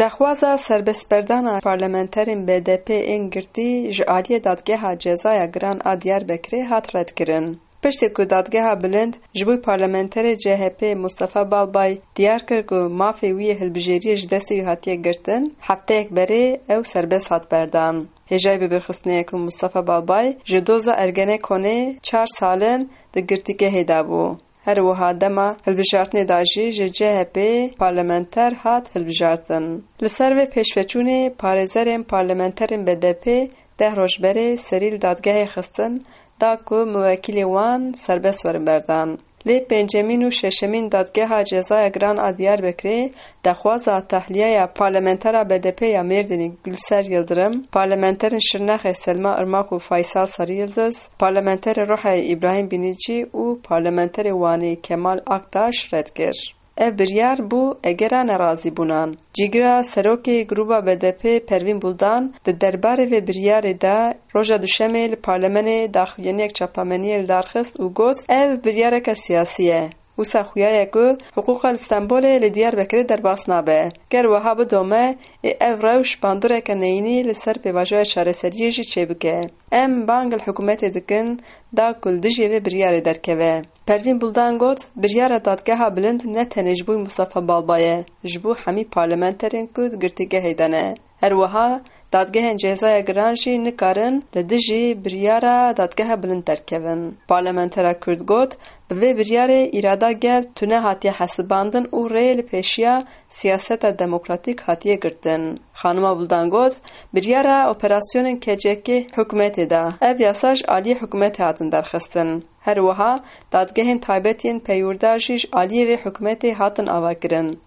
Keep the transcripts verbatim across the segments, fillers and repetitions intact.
Daxwaza serbestberdana parlamenterên B D P ên girtî ji aliyê Dadgeha Cezaya Giran a Diyarbekirê hat redkirin. Piştî ku Dadgeha Bilind ji bo parlamenterê C H P Mustafa Balbay diyar kir ku mafê wî yê hilbijêriyê ji destê wî hatiye girtin, hefteyek berê ew serbest hat berdan. Hêjayî bibîrxistinê ye ku Mustafa Balbay ji doza Ergenekonê çar sal in di girtîgehê de bû. Her wiha dema hilbijartinê de jî ji C H P parlamenter hat hilbijartin. Li ser vê pêşveçûnê parêzerên parlamenterên B D P deh roj berê serî li dadgehê xistin, da ku muwekîlê wan serbest werin berdan. Lê pêncemîn û şeşemîn Dadgeha Cezaya Giran a Diyarbekirê daxwaza tahliyeya parlamentera B D P ya Mêrdînê Gulser Yildirim, parlamenterên Şirnexê Selma Irmak û Faysal Sarı Yıldız, parlamenterê Rihayê Îbrahîm Bînîcî û parlamenterê Wanê Kemal Aktaş red kir. Ev biryar bû egera nerazîbûnan. Cîgira serokê grûba B D P Pervîn Buldan di derbarê vê biryarê de roja Duşemê li Parlemenê daxuyaniyek çapameniyê li dar xist û got, ev biryareke siyasî ye. Wisa xuya ye ku hiqûqa li Stenbolê li Diyarbekirê derbas nabe. Ger wiha bidome, ê ev rewş bandoreke neyînî li ser pêvajoya çareseriyê jî çêbike. Em bang li hikûmetê dikin da ku li dijî vê biryarê derkeve. Pervîn Buldan got, biryara Dadgeha Bilind ne tenê ji bo Mustafa Balba ye, ji bo hemî parlamenterên ku di girtîgehê de ne. Her wiha, dadgehên cezaya giran jî nikarin li dijî biryara Dadgeha Bilind derkevin. Parlamentera Kurd got, bi vê biryarê îrada gel tune hatiye hesibandin û rê li pêşiya siyaseta demokratîk hatiye girtin. Xanima Buldan got, biryara operasyonên K C K hikûmetê de. Ev yasa ji aliyê hikûmetê hatin derxistin. Her wiha dadgehên taybet yên peywirda jî ji aliyê vê hikûmetê hatin avakirin.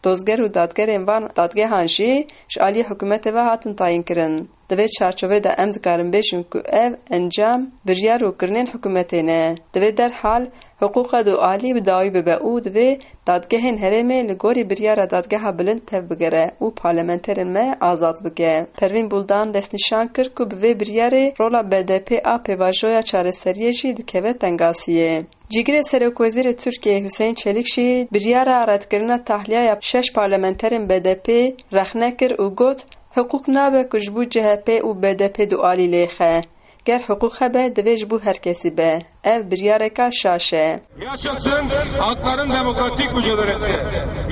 Dozger û dadgerên van dadgehan jî ji aliyê hikûmetê ve hatin tayînkirin. Di vê çarçovê de em dikarin bêjin ku ev encam, biryar û kirinên hikûmetê ne. Di vê derhal hiqûqa dualî bi dawî bibe û divê dadgehên herêmê li gorî biryara Dadgeha Bilind tevbigere û parlamenterên me azad bike. Pervîn Buldan destnîşan kir ku bi vê biryarê rola B D P a pêvajoya çareseriyê jî dikeve tengasiyê. Cîgirê Serokwezîrê Tirkiyeyê Huseyîn Çelîk jî biryara redkirina tahliyeya şeş parlamenterên B D P rexne kir û got, hiqûq nabe ku ji bo C H P û B D P dualî lêxe. Ger hiqûq hebe, divê ji bo her kesî be. Ev biryareka şaş e. Yaşasın hakların demokratik mücadelesi.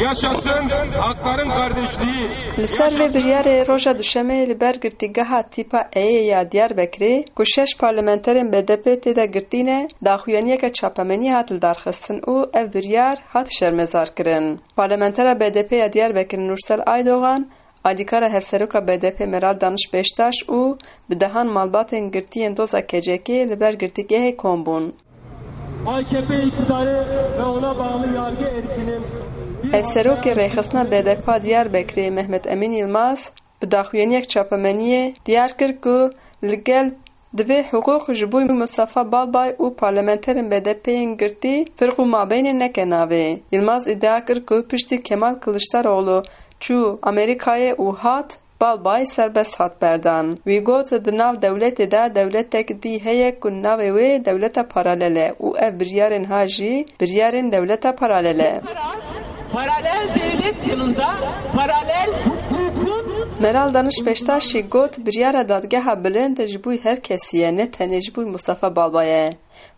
Yaşasın hakların kardeşliği. Li ser vê biryarê roja Duşemê li ber girtîgeha tîpa Eyê ya Diyarbekirê, ku şeş parlamenterên B D P tê de girtî ne, daxuyaniyeke çapemeniyê hat lidarxistin û ev biryar hat şermezarkirin. Parlamentera B D P ya Diyarbekir Nursel Aydogan, alîkara hevseroka B D P Meral Daniş Beştaş û bi dehan malbatên girtiyên doza K C K li ber girtîgehê kom bûn. A K P iktidarı ve ona bağlı yargı erkinin bir Hevserokê rêxistina B D P a Diyarbekirê Mehmet Emîn Yilmaz bi daxuyaniyek çapemeniyê diyar kir ku li gel divê hiqûq ji bo Mustafa Balbay û parlamenterên B D P yên girtî firq û mabeynê neke navê. Yilmaz îdia kir ku piştî Kemal Kiliçdaroglu çû Amerîkayê û hat, Balbay serbest hat berdan. Wî got, di nav dewletê de dewletek dî heye ku navê wê dewleta paralel e û ev biryarên ha jî biryarên dewleta paralel e. Paralel devlet yanında paralel hukukun Meral Daniş Beştaş jî got, biryara dadgeha bilind ji bo her kesî ye, ne tenê ji bo Mustafa Balbay e.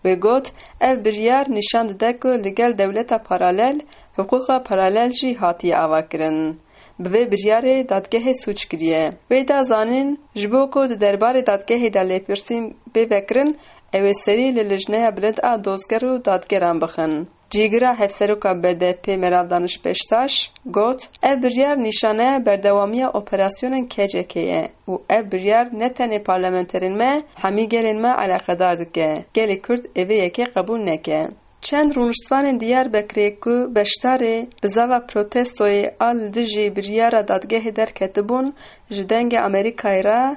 Wê got, ev biryar nîşan dide ku li gel dewleta paralel, hiqûqa paralel jî hatiye avakirin. Bi vê biryarê dadgehê sûc kiriye. Wê da zanîn, ji bo ku di derbarê dadgehê de lêpirsîn bê vekirin, ew ê serî li Lijneya Bilind a Dozger û Dadgeran bixin. Cîgira Hevseroka B D P Meral Daniş Beştaş got, ev biryar nîşaneya berdewamiya operasyonên K C K ye û ev biryar ne tenê parlamenterên me, hemî gelên me eleqedar dike. Gelê Kurd ê vê yekê qebûl neke. Çend rûniştvanên Diyarbekirê ku beşdarê bizava protestoyê a li dijî biryara dadgehê derketibûn, ji Dengê Amerîkayê re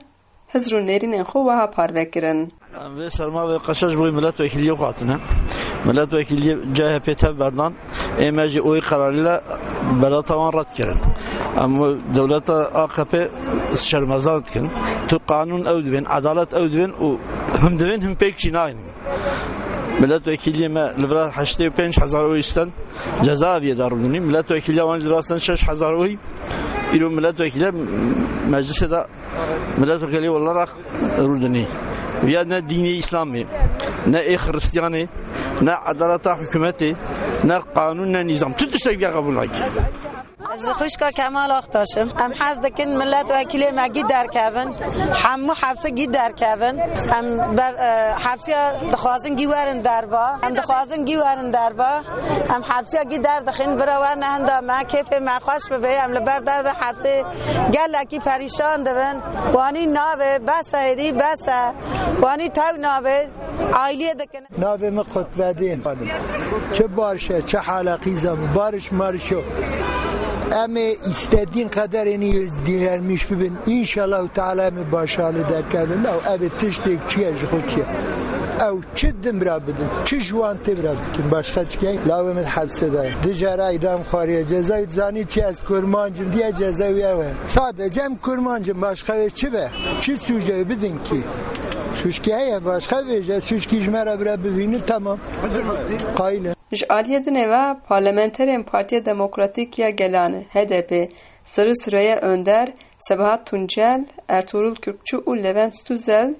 hizr û nêrînên xwe wiha parve kirin. Em vê serma vê qeşa ji bo milletvekiliyê xwe hatine. Milletvekiliyê C H P tev berdan, ê me jî oyê qerarî le berata wan red kirin. Em dewleta A K P şermezar dikin. Tu qanûn ew divên, edalet ew divên û him divên, him pêk jî nayîn. Milletvekiliyê me li vira heştê û pênc hezar oyî sten, cezaeviyê de rûdinî. Milletvekiliya wan jî li vira sten şeş hezar oyî, Îro milletvekîle meclisê de milletvekilî olarak rûdinî. Ya ne dînê Îslamê, ne ê Xristiyanê, ne edaleta hikûmetê, ne qanûn, ne nîzam. Tu tiştek ya qebûl nake. Ez xwişka Kemal Aktaş im. Em hez dikin milletvekilê me gî derkevin. Hemû hepsi gî derkevin. Em ber, e, hepsiya dixwazin gî werin derva. Em dixwazin gî werin derva. Em hepsiya gî derdixin. Bira werne hinda me. Kêfê me xweş bibe. Em li ber derve hepsê gelekî perîşan dibin. Wanî nabe. Bes e êdî. Bes e. Wanî tew nabe. Ailiyê dikin. Navê min Qutbedîn. Çi barş e, çi hala qîza min, barış marış yok. Em ê istediğin kadar en iyi direnmiş bibin. İnşallah Teala em ê başarılı derkevin. Law ev ê tiştek çi ye, ji xwe çi ye. Ew çi din bira bidin, çi ji wan tê bira bikin. Başka çi ye? Law em ê hepse de. Dijara idam xwariye. Ceza zanî çi, ez kurmancim diye ceza ew e. Sadece em kurmancim, başka wê çi be? Çi sûce bidin ki? Sûçkî heye, başka vêje, sûçkî ji me re bire bivînin, tamam. Qayil in. Ji aliyê dinê ve parlamenterên Partiya Demokratîk ya Gelan, H D P, Sırrı Süreyya Önder, Sebahat Tuncel, Ertuğrul Kürkçü û Levent Tüzel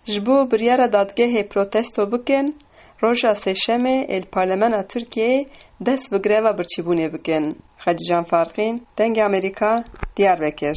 ji bo biryara dadgehê protesto bikin, roja Sêşemê ê li Parlemena Tirkiyeyê dest bi greva birçîbûnê bikin. Xecîcan Farqîn, Dengê Amerîka, Diyarbekir.